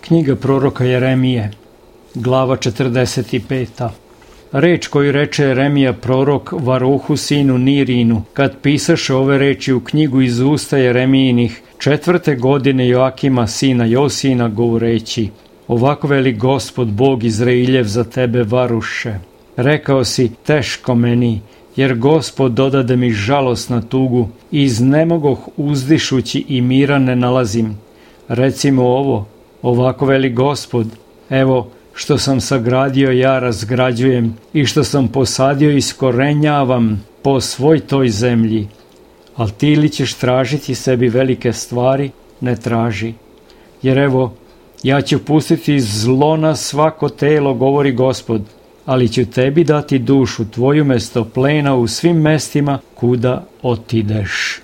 Knjiga proroka Jeremije, glava 45. Reč koju reče Jeremija prorok Varuhu sinu Nirinu, kad pisaše ove reči u knjigu iz usta Jeremijinih 4. godine Joakima sina Josijina, govoreći: ovako veli Gospod Bog Izrailjev za tebe, Varuše. Rekao si: teško meni, jer Gospod dodade mi žalost na tugu, i iznemogoh uzdišući i mira ne nalazim. Recimo ovo: ovako veli Gospod, evo, što sam sagradio ja razgrađujem, i što sam posadio iskorenjavam po svoj toj zemlji. Al ti li ćeš tražiti sebi velike stvari? Ne traži. Jer evo, ja ću pustiti zlo na svako telo, govori Gospod, ali ću tebi dati dušu tvoju mesto plena u svim mestima kuda otideš.